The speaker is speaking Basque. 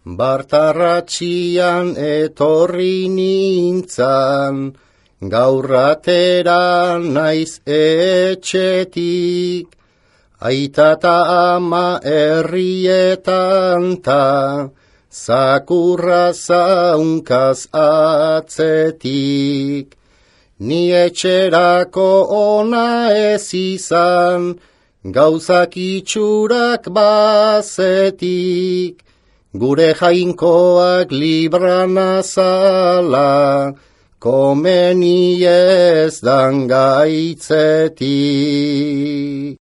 Bartarratxian etorri nintzan, gaurratera naiz etxetik, aita ta ama herrietan ta, zakurra zaunkaz atzetik. Ni etxerako ona ez izan, gauzak itxurak bazetik, gure jainkoak librana zala, komeni ez dan gaitzetik.